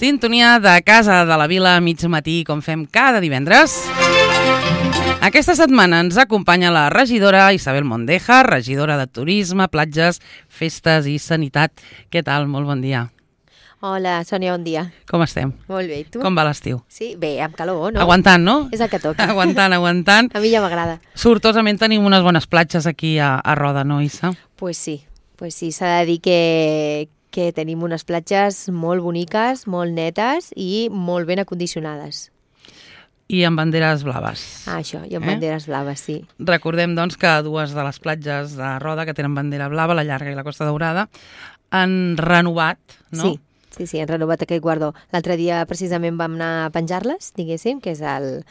Sintonia de Casa de la Vila, mig matí, com fem cada divendres. Aquesta setmana ens acompanya la regidora Isabel Mondeja, regidora de Turisme, Platges, Festes i Sanitat. Què tal? Molt bon dia. Hola, Sònia, bon dia. Com estem? Molt bé, i tu? Com va l'estiu? Sí, bé, amb calor, no? Aguantant, no? És el que toca. Aguantant. A mi ja m'agrada. Sortosament tenim unes bones platges aquí a Roda, no, Isa? Pues sí, s'ha de dir que tenim unes platges molt boniques, molt netes i molt ben acondicionades. I amb banderes blaves. Ah, això, i amb banderes blaves, sí. Recordem, doncs, que dues de les platges de Roda que tenen bandera blava, la Llarga i la Costa Daurada, han renovat, no? Sí, han renovat aquest guardó. L'altre dia precisament vam anar a penjar-les, diguéssim, que és el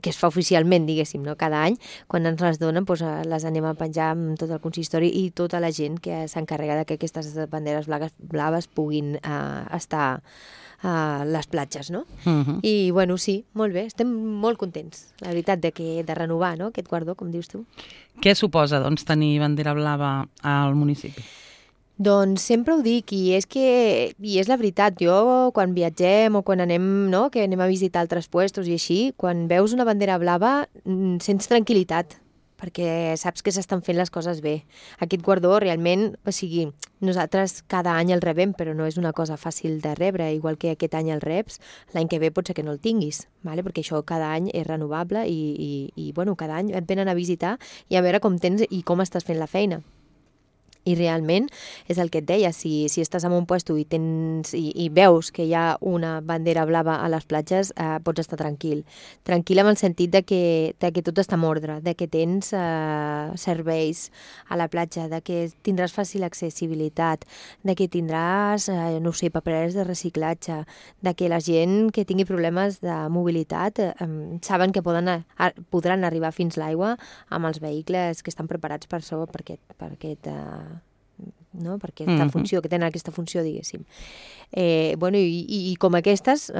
que es fa oficialment, diguéssim, no? Cada any, quan ens les donen, doncs, les anem a penjar amb tot el consistori i tota la gent que s'encarrega que aquestes banderes blaves puguin estar a les platges, no? I, bueno, sí, molt bé, estem molt contents, la veritat, de renovar, no?, aquest guardó, com dius tu. Què suposa, doncs, tenir bandera blava al municipi? Doncs sempre ho dic, i és la veritat, jo quan viatgem o quan anem, no?, que anem a visitar altres puestos i així, quan veus una bandera blava sents tranquil·litat, perquè saps que s'estan fent les coses bé. Aquest guardó realment, o sigui, nosaltres cada any el rebem, però no és una cosa fàcil de rebre, igual que aquest any el reps, l'any que ve pot ser que no el tinguis, vale? Perquè això cada any és renovable i bueno, cada any et venen a visitar i a veure com tens i com estàs fent la feina. I realment, és el que et deia, si estàs en un puesto i veus que hi ha una bandera blava a les platges, pots estar tranquil. Tranquil en el sentit de que tot està en ordre, de que tens serveis a la platja, de que tindràs fàcil accessibilitat, de que tindràs, no sé, papereres de reciclatge, de que la gent que tingui problemes de mobilitat saben que podran arribar fins l'aigua amb els vehicles que estan preparats per això, per aquesta funció, que tenen aquesta funció, diguéssim. Bueno, i com aquestes,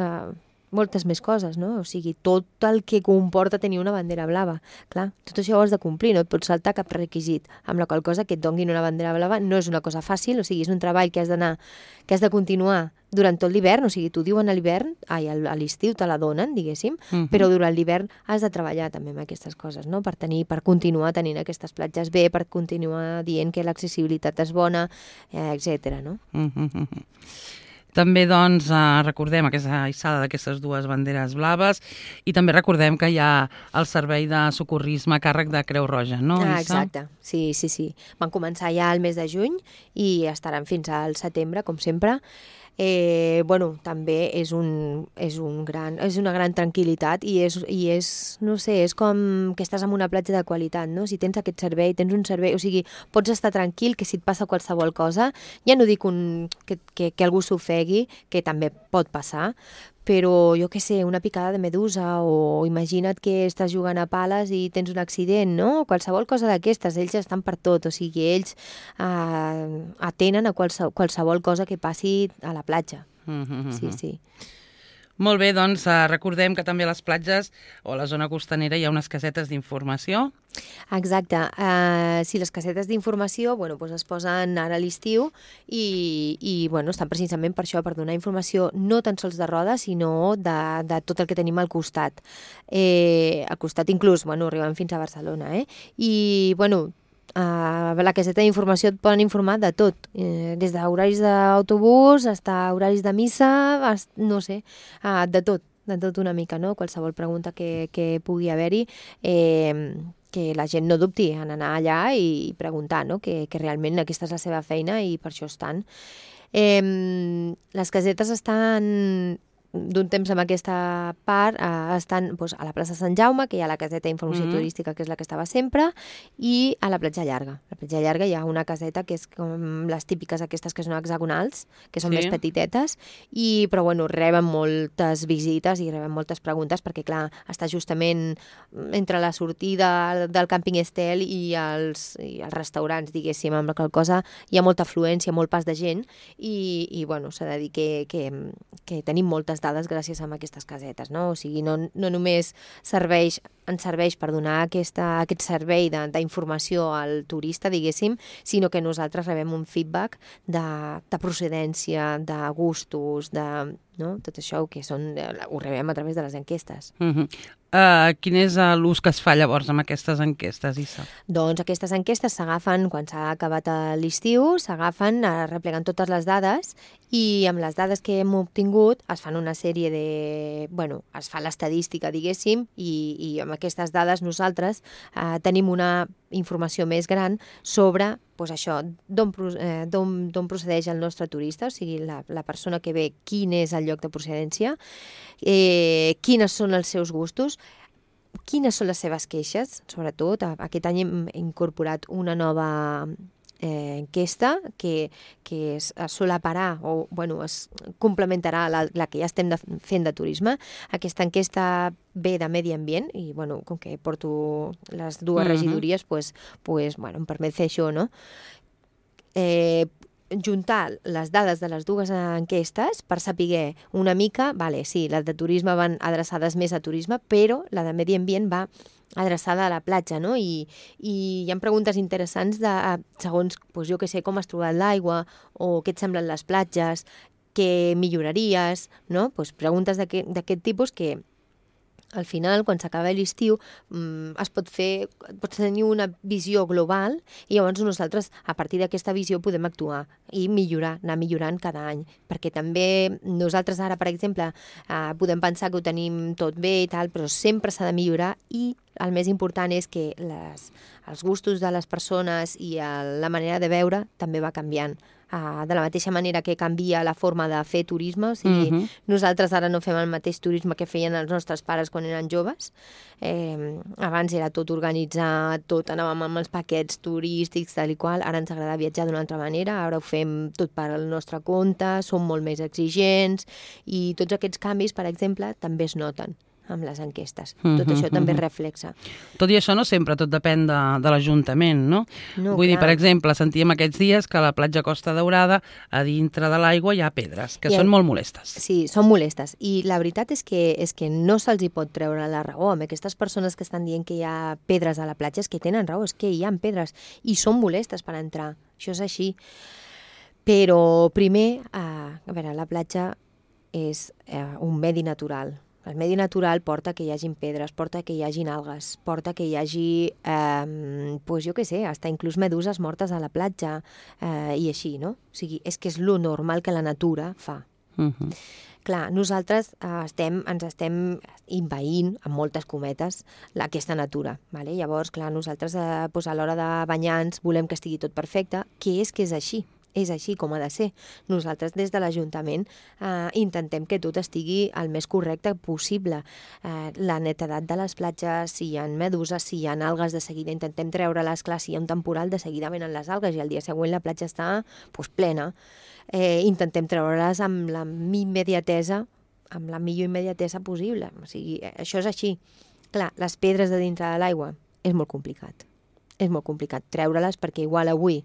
moltes més coses, no? O sigui, tot el que comporta tenir una bandera blava. Clar, tot això ho has de complir, no et pots saltar cap requisit, amb la qual cosa que et donguin una bandera blava no és una cosa fàcil, o sigui, és un treball que has de continuar durant tot l'hivern, o sigui, t'ho diuen a l'hivern, a l'estiu te la donen, diguéssim, però durant l'hivern has de treballar també amb aquestes coses, no? Per continuar tenint aquestes platges bé, per continuar dient que l'accessibilitat és bona, etc. no? També, doncs, recordem aquesta hissada d'aquestes dues banderes blaves i també recordem que hi ha el servei de socorrisme a càrrec de Creu Roja, no, Issa? Exacte, sí. Van començar ja al mes de juny i estaran fins al setembre, com sempre. Bueno, també és una gran tranquil·litat i és, no sé, és com que estàs en una platja de qualitat, no? Si tens aquest servei, tens un servei, o sigui, pots estar tranquil que si et passa qualsevol cosa, ja no dic que algú s'ofegui, que també pot passar, però jo què sé, una picada de medusa o imagina't que estàs jugant a pales i tens un accident, no? Qualsevol cosa d'aquestes, ells estan per tot, o sigui, ells atenen a qualsevol cosa que passi a la platja. Sí. Molt bé, doncs recordem que també a les platges o a la zona costanera hi ha unes casetes d'informació. Exacte. Sí, les casetes d'informació doncs es posen ara a l'estiu i estan precisament per això, per donar informació no tan sols de Roda, sinó de tot el que tenim al costat. Al costat inclús, arribem fins a Barcelona. I, a la caseta d'informació et poden informar de tot, des d'horaris d'autobús fins a horaris de missa, no sé, de tot una mica, no? Qualsevol pregunta que pugui haver-hi, que la gent no dubti en anar allà i preguntar, no? Que realment aquesta és la seva feina i per això estan. Les casetes estan d'un temps amb aquesta part, estan a la plaça Sant Jaume, que hi ha la caseta d'informació turística, que és la que estava sempre, i a la platja Llarga. A la platja Llarga hi ha una caseta que és com les típiques aquestes que són hexagonals, que són més petitetes, però reben moltes visites i reben moltes preguntes, perquè clar, està justament entre la sortida del càmping Estel i els restaurants, diguéssim, amb la qual cosa hi ha molta afluència, molt pas de gent, i s'ha de dir que tenim moltes les dades gràcies a aquestes casetes, no? O sigui, no només ens serveix per donar aquest servei d'informació al turista, diguéssim, sinó que nosaltres rebem un feedback de procedència, de gustos, no? Tot això ho rebem a través de les enquestes. Quin és l'ús que es fa llavors amb aquestes enquestes, Issa? Doncs aquestes enquestes s'agafen, quan s'ha acabat l'estiu, s'agafen, repleguen totes les dades i amb les dades que hem obtingut es fan una sèrie es fa l'estadística, diguéssim, i amb aquestes dades nosaltres tenim una informació més gran sobre això, d'on procedeix el nostre turista, o sigui, la persona que ve, quin és el lloc de procedència, quines són els seus gustos, quines són les seves queixes, sobretot. Aquest any hem incorporat una nova enquesta que es solaparà o es complementarà la que ja estem fent de turisme. Aquesta enquesta ve de medi ambient i com que porto les dues regidories em permet fer això, no? Juntar les dades de les dues enquestes per saber una mica, sí, les de turisme van adreçades més a turisme, però la de medi ambient va adreçada a la platja, no? I hi ha preguntes interessants segons, jo què sé, com has trobat l'aigua o què et semblen les platges, què milloraries, no? Preguntes d'aquest tipus que al final, quan s'acaba l'estiu, pots tenir una visió global i llavors nosaltres, a partir d'aquesta visió, podem actuar i anar millorant cada any. Perquè també nosaltres ara, per exemple, podem pensar que ho tenim tot bé i tal, però sempre s'ha de millorar i el més important és que els gustos de les persones i la manera de veure també va canviant. De la mateixa manera que canvia la forma de fer turisme, o sigui, nosaltres ara no fem el mateix turisme que feien els nostres pares quan eren joves. Abans era tot organitzat, tot anàvem amb els paquets turístics, tal i qual. Ara ens agrada viatjar d'una altra manera, ara ho fem tot per al nostre compte, som molt més exigents i tots aquests canvis, per exemple, també es noten amb les enquestes. Tot això també es reflexa. Tot i això no sempre tot depèn de l'Ajuntament, no? Vull dir, per exemple, sentíem aquests dies que a la platja Costa Daurada, a dintre de l'aigua hi ha pedres, que són molt molestes. Sí, són molestes. I la veritat és que no se'ls hi pot treure la raó. Amb aquestes persones que estan dient que hi ha pedres a la platja, és que tenen raó, és que hi ha pedres i són molestes per entrar. Això és així. Però primer, la platja és un medi natural. El medi natural porta que hi hagin pedres, porta que hi hagin algues, porta que hi hagi, jo què sé, fins inclús meduses mortes a la platja i així, no? O sigui, és que és lo normal que la natura fa. Clar, nosaltres ens estem envaint, amb moltes cometes, aquesta natura. Vale? Llavors, clar, nosaltres a l'hora de banyar-nos volem que estigui tot perfecte, que és així. És així com ha de ser. Nosaltres des de l'Ajuntament intentem que tot estigui el més correcte possible. La netedat de les platges, si hi ha meduses, si hi ha algues, de seguida intentem treure-les, clar, si hi ha un temporal, de seguida venen les algues i el dia següent la platja està plena. Intentem treure-les amb la millor immediatesa possible. O sigui, això és així. Clar, les pedres de dintre de l'aigua és molt complicat. És molt complicat treure-les perquè igual avui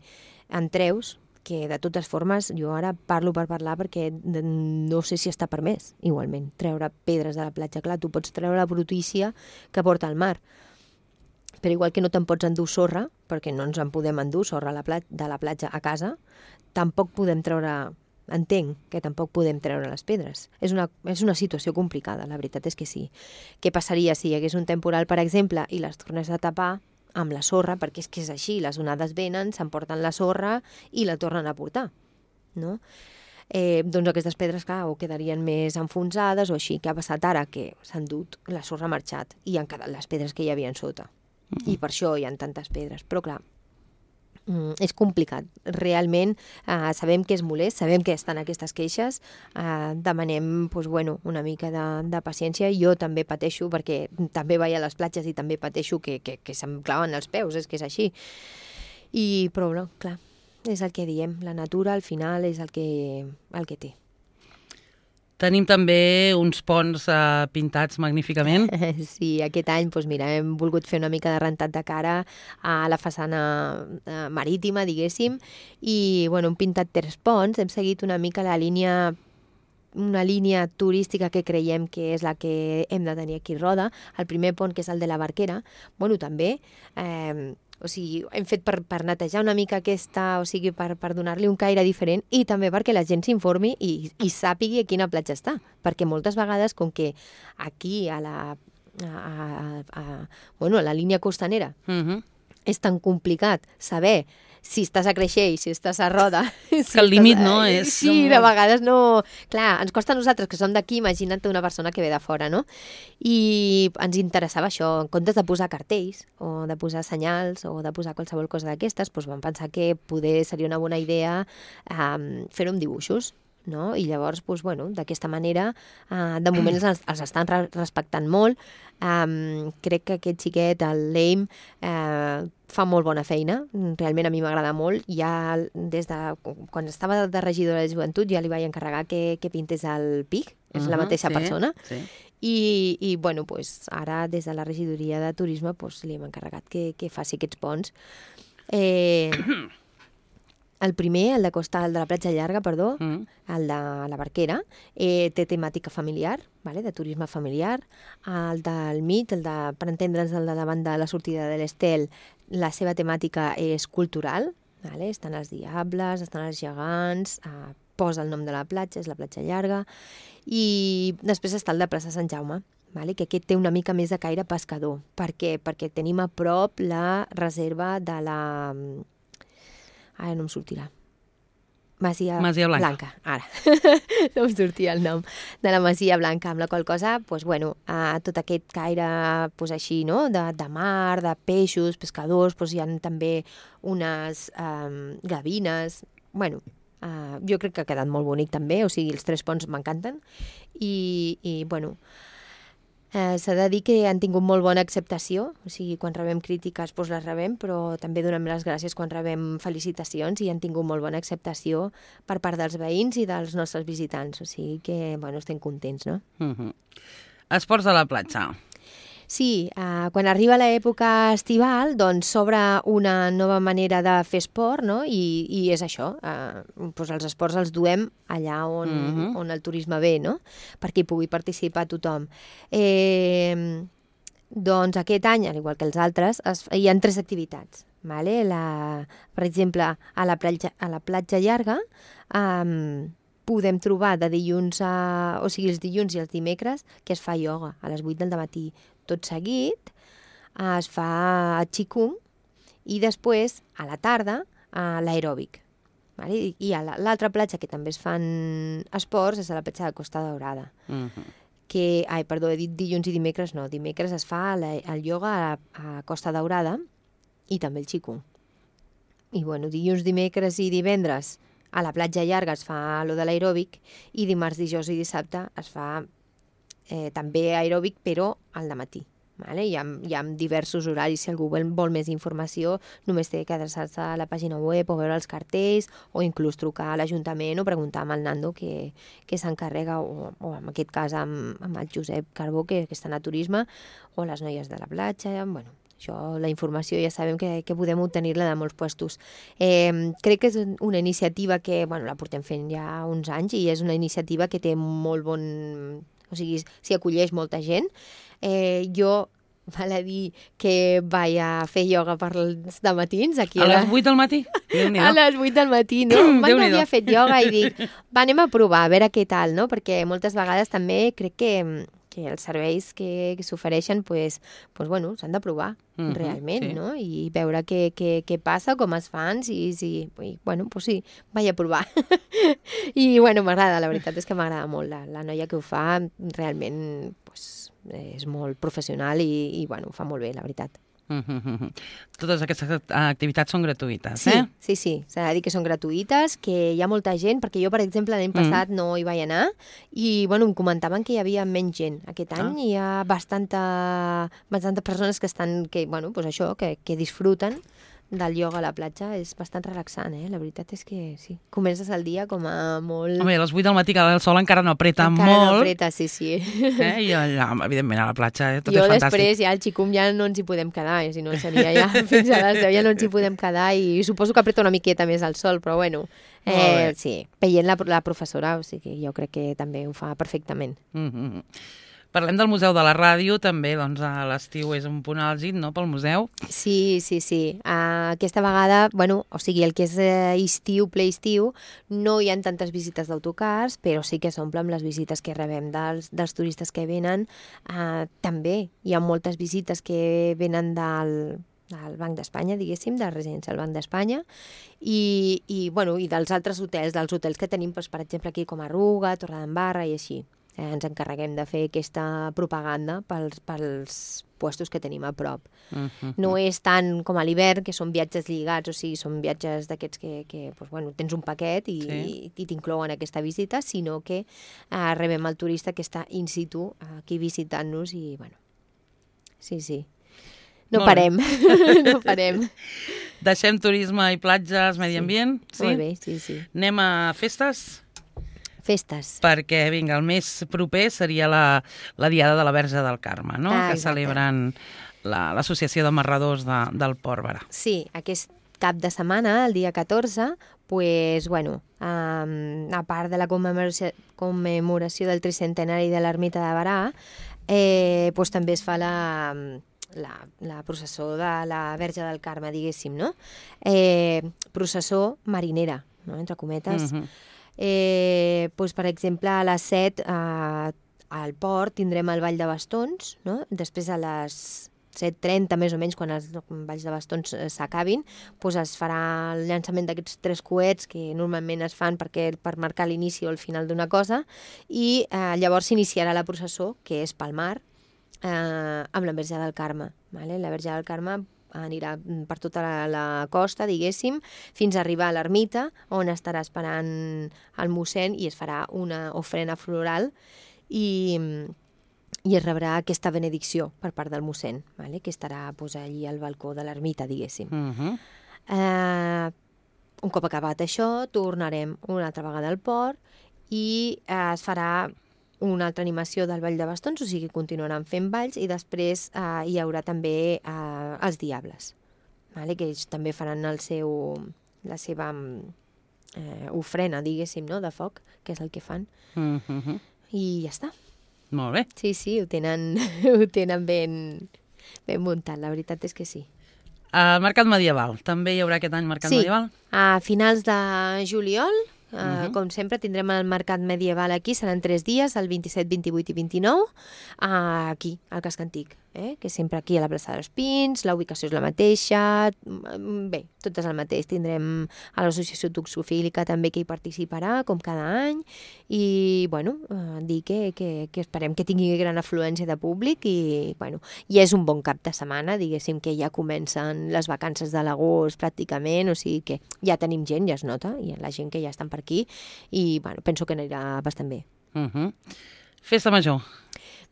en treus, que de totes formes jo ara parlo per parlar perquè no sé si està permès, igualment, treure pedres de la platja. Clar, tu pots treure la brutícia que porta al mar, però igual que no te'n pots endur sorra, perquè no ens en podem endur sorra de la platja a casa, tampoc podem treure, entenc que tampoc podem treure les pedres. És una situació complicada, la veritat és que sí. Què passaria si hi hagués un temporal, per exemple, i les tornes a tapar amb la sorra, perquè és que és així, les onades venen, s'emporten la sorra i la tornen a portar, no? Doncs aquestes pedres, clar, o quedarien més enfonsades o així. Què ha passat ara? Que s'han dut, la sorra ha marxat i han quedat les pedres que hi havia sota. I per això hi ha tantes pedres. Però clar, és complicat. Realment sabem que és molest, sabem que estan aquestes queixes, demanem una mica de paciència. Jo també pateixo perquè també vaig a les platges i també pateixo que se'm claven els peus, és que és així. Però no, clar, és el que diem, la natura al final és el que té. Tenim també uns ponts pintats magníficament. Sí, aquest any hem volgut fer una mica de rentat de cara a la façana marítima, diguéssim, i hem pintat 3 ponts, hem seguit una mica la línia una línia turística que creiem que és la que hem de tenir aquí a Roda. El primer pont, que és el de la Barquera, bueno, també... O sigui, hem fet per netejar una mica aquesta, o sigui, per donar-li un caire diferent i també perquè la gent s'informi i sàpigui a quina platja està. Perquè moltes vegades, com que aquí a la línia costanera és tan complicat saber si estàs a Creixell, si estàs a Roda... Que el límit no és... Sí, de vegades no... Clar, ens costa a nosaltres, que som d'aquí, imagina't una persona que ve de fora, no? I ens interessava això, en comptes de posar cartells, o de posar senyals, o de posar qualsevol cosa d'aquestes, doncs vam pensar que poder seria una bona idea fer-ho amb dibuixos, no? I llavors, doncs, bueno, d'aquesta manera, de moment els estan respectant molt. Crec que aquest xiquet, el Leim, fa molt bona feina, realment a mi m'agrada molt. Ja des de quan estava de regidora de joventut ja li vaig encarregar que pintés el PIC, és la mateixa persona. Sí. I bueno, pues, ara des de la regidoria de turisme pues, li hem encarregat que faci aquests ponts. El primer, el de la platja llarga, perdó, el de la Barquera, té temàtica familiar, vale? De turisme familiar. El del mig, per entendre'ns, el de davant de la sortida de l'Estel, la seva temàtica és cultural, vale? Estan els diables, estan els gegants, posa el nom de la platja, és la platja llarga, i després està el de plaça Sant Jaume, vale? Que aquest té una mica més de caire pescador. Per què? Perquè tenim a prop la reserva de la... Ara no em sortirà. Masia Blanca. Ara. No em sortia el nom. De la Masia Blanca, amb la qual cosa, doncs, bueno, tot aquest caire doncs, així, no? De mar, de peixos, pescadors, doncs, hi ha també unes gavines. Bueno, jo crec que ha quedat molt bonic també, o sigui, els 3 ponts m'encanten. I bueno... S'ha de dir que han tingut molt bona acceptació, o sigui, quan rebem crítiques doncs les rebem, però també donem les gràcies quan rebem felicitacions i han tingut molt bona acceptació per part dels veïns i dels nostres visitants, o sigui que, bueno, estem contents, no? Esports de la platja. Sí, quan arriba l'època estival, doncs s'obre una nova manera de fer esport, no? I és això, doncs els esports els duem allà on el turisme ve, no? Perquè hi pugui participar tothom. Doncs aquest any, al igual que els altres, hi ha 3 activitats. Vale? Per exemple, a la platja llarga podem trobar de dilluns o sigui, els dilluns i els dimecres que es fa ioga a les 8 del matí. Tot seguit es fa qigong i després, a la tarda, l'aeròbic. Vale? I a l'altra platja que també es fan esports és a la platja de Costa Daurada. Perdó, he dit dilluns i dimecres, no. Dimecres es fa el ioga a Costa Daurada i també el qigong. I bueno, dilluns, dimecres i divendres a la platja llarga es fa lo de l'aeròbic i dimarts, dijous i dissabte es fa també aeròbic, però al dematí. Vale? Hi ha diversos horaris. Si algú vol més informació, només té que adreçar-se a la pàgina web o veure els cartells o inclús trucar a l'Ajuntament o preguntar amb el Nando que s'encarrega, o en aquest cas amb el Josep Carbó, que estan a turisme, o les noies de la platja. Bueno, això, la informació ja sabem que podem obtenir-la de molts puestos. Crec que és una iniciativa que la portem fent ja uns anys i és una iniciativa que té molt bon... O sigui, s'hi acolleix molta gent. Jo, val a dir que vaig a fer ioga per els dematins. Aquí a les 8 del matí? A les 8 del matí, no? Mai no havia fet ioga i dic, anem a provar, a veure què tal, no? Perquè moltes vegades també crec que els serveis que s'ofereixen s'han de provar realment, no? I veure què passa, com es fan, sí, vaig a provar. I m'agrada, la veritat és que m'agrada molt. La noia que ho fa realment és molt professional i ho fa molt bé, la veritat. Totes aquestes activitats són gratuïtes, eh? Sí, s'ha de dir que són gratuïtes, que hi ha molta gent, perquè jo, per exemple, l'any passat no hi vaig anar i, em comentaven que hi havia menys gent. Aquest any hi ha bastantes persones que estan, que disfruten del ioga a la platja és bastant relaxant, La veritat és que sí. Comences el dia com a molt... Home, a les 8 del matí, que el sol encara no apreta encara molt. no apreta, sí. I allà, evidentment, a la platja, tot jo és fantàstic. després ja al xicum ja no ens hi podem quedar, si no seria ja fins a les 10 ja no ens hi podem quedar i suposo que apreta una miqueta més el sol, però bueno, sí, veient la professora, o sigui, jo crec que també ho fa perfectament. Parlem del Museu de la Ràdio, també, doncs, a l'estiu és un punt àlgid, no?, pel museu. Sí. Aquesta vegada, bueno, o sigui, el que és estiu, ple estiu, no hi ha tantes visites d'autocars, però sí que s'omple amb les visites que rebem dels turistes que venen. També hi ha moltes visites que venen del Banc d'Espanya, diguéssim, de la residència del Banc d'Espanya, i dels altres hotels, dels hotels que tenim, doncs, per exemple, aquí com a Ruga, Torredembarra i així. Ens encarreguem de fer aquesta propaganda pels puestos que tenim a prop. No és tant com a l'hivern, que són viatges lligats, o sigui, són viatges d'aquests que doncs, bueno, tens un paquet i t'inclouen aquesta visita, sinó que rebem el turista que està in situ aquí visitant-nos i, bueno, sí. No parem, no parem. Deixem turisme i platges, medi ambient? Sí. Molt bé, sí. Anem a festes? Festes. Perquè, vinga, el més proper seria la Diada de la Verge del Carme, no? Que celebren l'Associació de Marradors del Port Berà. Sí, aquest cap de setmana, el dia 14, pues, bueno, a part de la commemoració del tricentenari de l'ermita de Berà, pues, també es fa la processó de la Verge del Carme, diguéssim, no? Processó marinera, no? Entre cometes. Pues, per exemple, a les 7 al port tindrem el Ball de Bastons, no? Després a les 7:30 més o menys, quan els balls de bastons s'acabin, pues es farà el llançament d'aquests 3 coets que normalment es fan per marcar l'inici o el final d'una cosa, i llavors s'iniciarà la processó, que és pel mar, amb la Verge del Carme. Vale? La Verge del Carme anirà per tota la costa, diguéssim, fins a arribar a l'ermita, on estarà esperant el mossèn i es farà una ofrena floral i es rebrà aquesta benedicció per part del mossèn, vale? Que estarà pues, allí al balcó de l'ermita, diguéssim. Un cop acabat això, tornarem una altra vegada al port i es farà una altra animació del Ball de Bastons, o sigui, continuaran fent balls i després hi haurà també els Diables, vale? Que ells també faran la seva ofrena, diguéssim, no? De foc, que és el que fan. I ja està. Molt bé. Sí, ho tenen ben muntat, la veritat és que sí. El Mercat Medieval, també hi haurà aquest any Mercat Medieval? Sí, a finals de juliol, com sempre, tindrem el Mercat Medieval aquí, seran 3 dies, el 27, 28 i 29, aquí, al Casc Antic, que sempre aquí a la plaça dels Pins, la ubicació és la mateixa, bé, tot és el mateix. Tindrem a l'associació toxofílica també que hi participarà, com cada any, i, bueno, dir que esperem que tingui gran afluència de públic i, bueno, i és un bon cap de setmana, diguéssim que ja comencen les vacances de l'agost pràcticament, o sigui que ja tenim gent, ja es nota, i la gent que ja estan per aquí, i, bueno, penso que anirà bastant bé. Festa Major.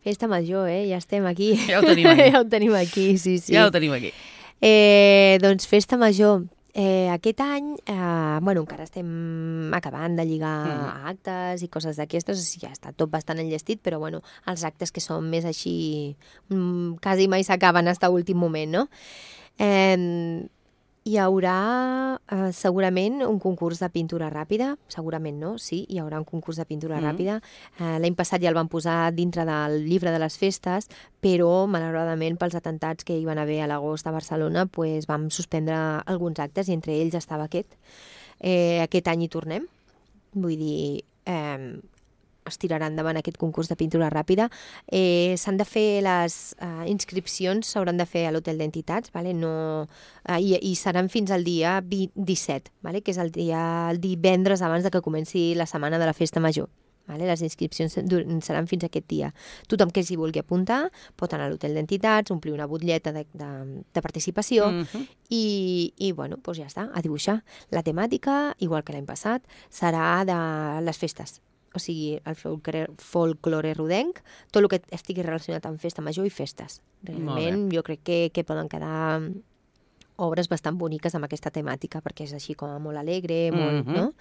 Festa Major, ja estem aquí. Ja ho tenim aquí. Ja ho tenim aquí, sí. Ja ho tenim aquí. Doncs Festa Major. Aquest any, bueno, encara estem acabant de lligar actes i coses d'aquestes, ja està tot bastant enllestit, però bueno, els actes que són més així, quasi mai s'acaben fins a últim moment, no? Hi haurà segurament un concurs de pintura ràpida, segurament no, sí, hi haurà un concurs de pintura ràpida. L'any passat ja el van posar dintre del llibre de les festes, però malauradament pels atentats que hi van haver a l'agost a Barcelona pues, vam suspendre alguns actes i entre ells estava aquest. Aquest any hi tornem, vull dir, es tirarà endavant aquest concurs de pintura ràpida. S'han de fer les inscripcions, s'hauran de fer a l'Hotel d'Entitats, vale? I seran fins al dia 17, vale? Que és el divendres abans de que comenci la setmana de la Festa Major. Vale? Les inscripcions seran fins aquest dia. Tothom que s'hi vulgui apuntar pot anar a l'Hotel d'Entitats, omplir una butlleta de participació i bueno, doncs ja està, a dibuixar. La temàtica, igual que l'any passat, serà de les festes. O sigui, el folklore rodenc, tot el que estigui relacionat amb festa major i festes. Realment, jo crec que poden quedar obres bastant boniques amb aquesta temàtica, perquè és així com molt alegre, molt, no?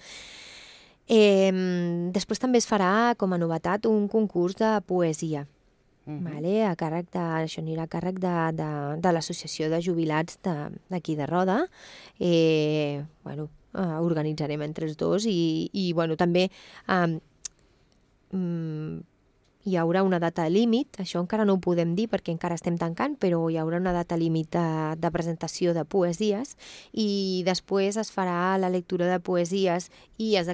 Després també es farà, com a novetat, un concurs de poesia. Vale? Això anirà a càrrec de l'Associació de Jubilats d'aquí de Roda. Organitzarem entre els dos i també hi haurà una data límit, això encara no ho podem dir perquè encara estem tancant, però hi haurà una data límit de presentació de poesies i després es farà la lectura de poesies i es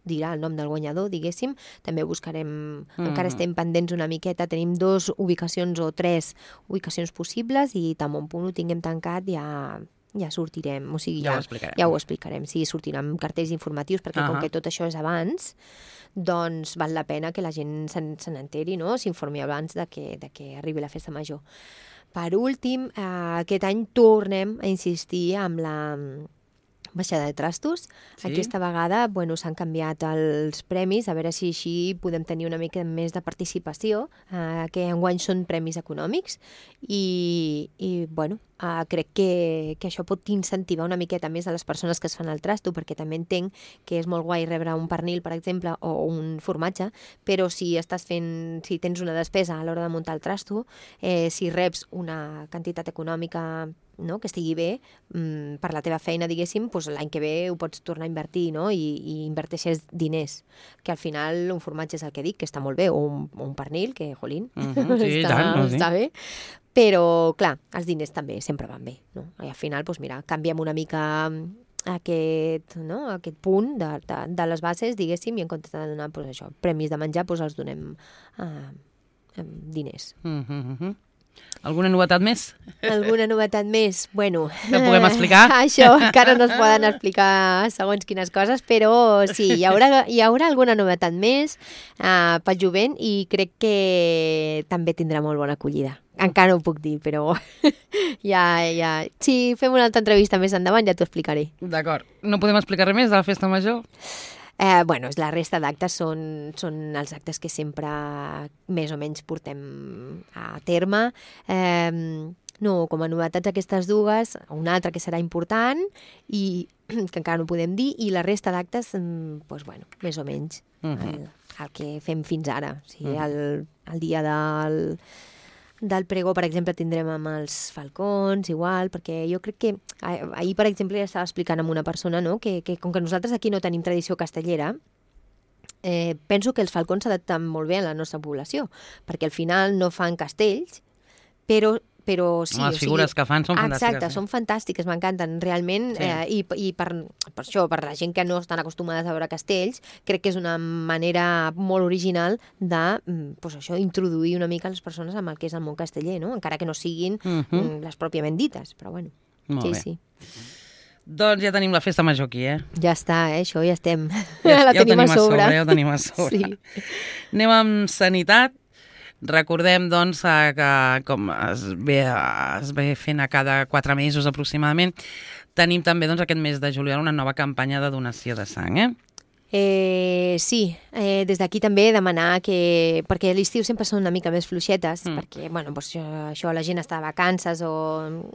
dirà el nom del guanyador, diguéssim. També buscarem, encara estem pendents una miqueta, tenim 2 ubicacions o 3 ubicacions possibles i tan bon punt ho tinguem tancat ja sortirem, o sigui, ja ho explicarem. Sí, sortiran cartells informatius perquè com que tot això és abans, doncs val la pena que la gent se n'enteri, no? S'informi abans de que arribi la festa major. Per últim, aquest any tornem a insistir amb la baixada de trastos. Sí? Aquesta vegada s'han canviat els premis, a veure si així podem tenir una mica més de participació, que enguany són premis econòmics i crec que això pot incentivar una miqueta més a les persones que es fan el trasto, perquè també entenc que és molt guai rebre un pernil, per exemple, o un formatge, però si tens una despesa a l'hora de muntar el trasto, si reps una quantitat econòmica, no, que estigui bé per la teva feina, diguéssim, doncs l'any que ve ho pots tornar a invertir, no? I inverteixes diners, que al final un formatge és el que dic, que està molt bé, o un pernil, que, jolín, està bé, però, clar, els diners també sempre van bé, no? I al final, doncs mira, canviem una mica aquest punt de les bases, diguéssim, i en comptes de donar premis de menjar, doncs els donem diners. Alguna novetat més? Alguna novetat més? Bueno... Que puguem explicar? Això encara no es poden explicar segons quines coses, però sí, hi haurà alguna novetat més pel jovent i crec que també tindrà molt bona acollida. Encara no ho puc dir, però ja... Si fem una altra entrevista més endavant ja t'ho explicaré. D'acord. No podem explicar res més de la festa major? La resta d'actes són els actes que sempre més o menys portem a terme. Com a novetats aquestes dues, una altra que serà important i que encara no podem dir, i la resta d'actes, més o menys el que fem fins ara. O sigui, el dia del pregó, per exemple, tindrem amb els falcons, igual, perquè jo crec que ahir, per exemple, ja estava explicant amb una persona, no?, que com que nosaltres aquí no tenim tradició castellera, penso que els falcons s'adapten molt bé a la nostra població, perquè al final no fan castells, però sí... Les figures que fan són fantàstiques. Exacte, són fantàstiques, m'encanten, realment, i per això, per la gent que no estan acostumades a veure castells, crec que és una manera molt original de, introduir una mica les persones amb el que és el món casteller, no? Encara que no siguin les pròpiament dites, però bueno. Molt bé. Sí. Doncs ja tenim la festa major aquí, Ja està, això ja estem. La tenim a sobre. Ja ho tenim a sobre. Sí. Anem amb sanitat. Recordem, doncs, que com es ve fent a cada 4 mesos aproximadament, tenim també aquest mes de juliol una nova campanya de donació de sang, Sí, des d'aquí també demanar que... Perquè a l'estiu sempre són una mica més fluixetes, perquè, això, la gent està de vacances o...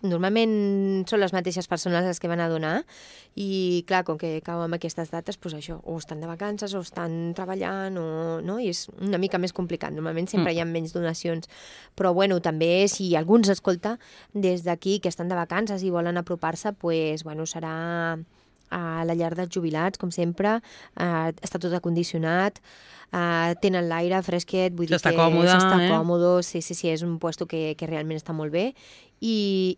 Normalment són les mateixes persones les que van a donar i, clar, com que cau amb aquestes dates, o estan de vacances o estan treballant no? I és una mica més complicat. Normalment sempre hi ha menys donacions. Però, també, si algú ens escolta des d'aquí que estan de vacances i volen apropar-se, serà... a la llar dels jubilats, com sempre, està tot acondicionat, tenen l'aire fresquet, vull dir que s'està còmode, sí, és un puesto que realment està molt bé i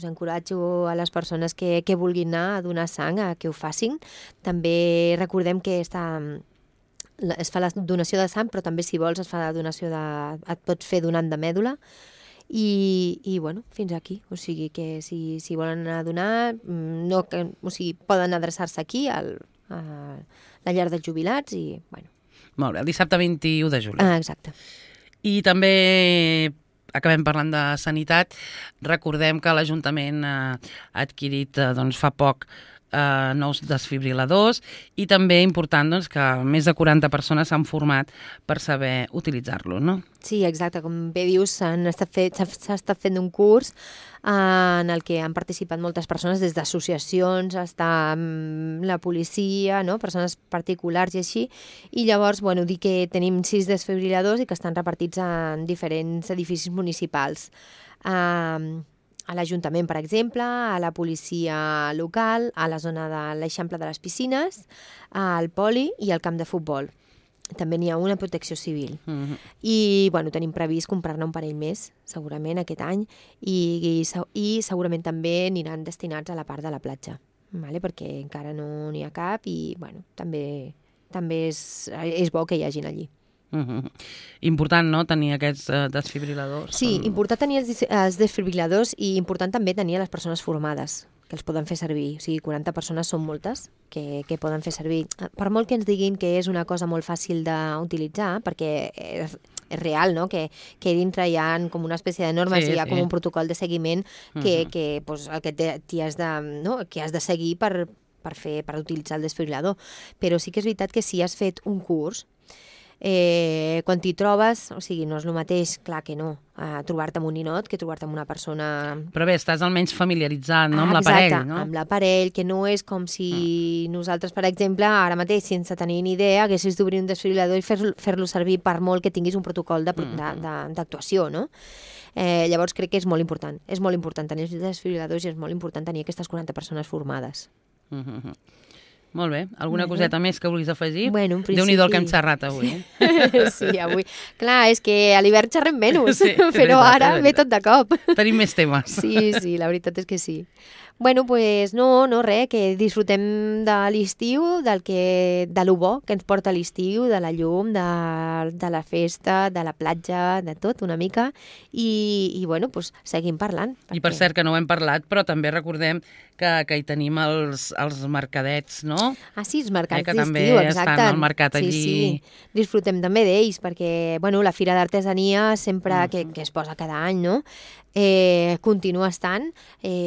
encoratjo a les persones que vulguin anar a donar sang a que ho facin. També recordem que es fa la donació de sang, però també si vols et pots fer donant de mèdula. I fins aquí. O sigui que si volen anar a donar, poden adreçar-se aquí a la llar dels jubilats i, Molt bé, el dissabte 21 de juliol. Exacte. I també acabem parlant de sanitat. Recordem que l'Ajuntament ha adquirit fa poc nous desfibriladors i també important doncs, que més de 40 persones s'han format per saber utilitzar-lo, no? Sí, exacte. Com bé dius, s'ha estat fent un curs en el que han participat moltes persones, des d'associacions fins a la policia, no? Persones particulars i així. I llavors, bueno, dir que tenim 6 desfibriladors i que estan repartits en diferents edificis municipals. A l'Ajuntament, per exemple, a la policia local, a la zona de l'Eixample de les Piscines, al Poli i al camp de futbol. També n'hi ha una Protecció Civil. I bueno, tenim previst comprar-ne un parell més, segurament, aquest any, i segurament també aniran destinats a la part de la platja, vale? Perquè encara no n'hi ha cap i bueno, també és bo que hi hagin allí. Important, no?, tenir aquests desfibriladors. Sí, important tenir els desfibriladors i important també tenir les persones formades que els poden fer servir. O sigui, 40 persones són moltes que poden fer servir. Per molt que ens diguin que és una cosa molt fàcil d'utilitzar, perquè és real, no?, que dintre hi ha com una espècie de normes i hi ha com un protocol de seguiment que pues, el que has de seguir per utilitzar el desfibrilador. Però sí que és veritat que si has fet un curs, quan t'hi trobes, o sigui, no és el mateix, clar que no, trobar-te amb un ninot que trobar-te amb una persona... Però bé, estàs almenys familiaritzat, no?, amb l'aparell, no? Amb l'aparell, que no és com si nosaltres, per exemple, ara mateix, sense tenir ni idea, haguessis d'obrir un desfibrilador i fer-lo servir per molt que tinguis un protocol d'actuació, no? Llavors crec que és molt important. És molt important tenir els desfibriladors i és molt important tenir aquestes 40 persones formades. Molt bé. Alguna coseta més que vulguis afegir? Bueno, en principi... Déu-n'hi-do el que hem xerrat avui. Sí, avui. Clar, és que a l'hivern xerrem menys, però ara ve tot de cop. Tenim més temes. Sí, la veritat és que sí. Bueno, pues no, res, que disfrutem de l'estiu, de lo bo que ens porta l'estiu, de la llum, de la festa, de la platja, de tot una mica, i bueno, pues seguim parlant. I per cert, que no ho hem parlat, però també recordem que hi tenim els mercadets, no? Ah, sí, els mercats d'estiu, exacte. Que també es fan al mercat allí. Sí. Disfrutem també d'ells, perquè, bueno, la Fira d'Artesania sempre, que es posa cada any, no?, continua estant,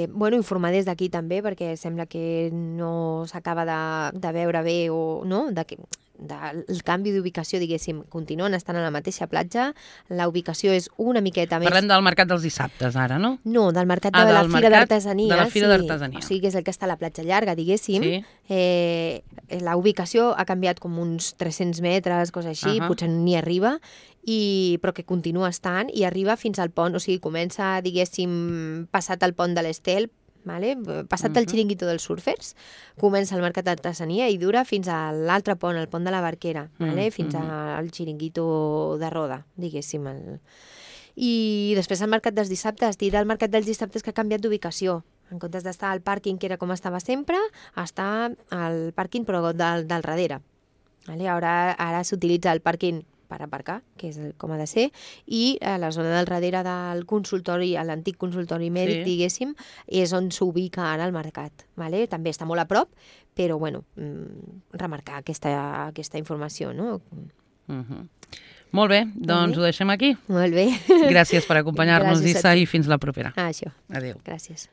bueno, informar des d'aquí també, perquè sembla que no s'acaba de veure bé o no, el canvi d'ubicació, diguéssim, continuen estant a la mateixa platja, la ubicació és una miqueta més... Parlem del mercat dels dissabtes ara, no? No, del mercat de la Fira d'Artesania. De la Fira d'Artesania. O sigui, que és el que està a la platja llarga, diguéssim. La ubicació ha canviat com uns 300 metres, cosa així, potser ni arriba, però que continua estant i arriba fins al pont, o sigui, comença, diguéssim, passat el pont de l'Estel, vale? Passat el xiringuito dels surfers, comença el mercat d'artesania i dura fins a l'altre pont, el pont de la Barquera, vale? Fins al xiringuito de Roda, diguéssim. I després el mercat dels dissabtes, dir el mercat dels dissabtes que ha canviat d'ubicació. En comptes d'estar al pàrquing, que era com estava sempre, està al pàrquing però del darrere. Vale? Ara s'utilitza el pàrquing per aparcar, que és com ha de ser, i a la zona del darrere del consultori, a l'antic consultori mèdic, diguéssim, és on s'ubica ara el mercat. Vale? També està molt a prop, però bueno, remarcar aquesta informació, no? Molt bé, doncs ho deixem aquí. Molt bé. Gràcies per acompanyar-nos, Issa, i fins la propera. Això. Adéu. Gràcies.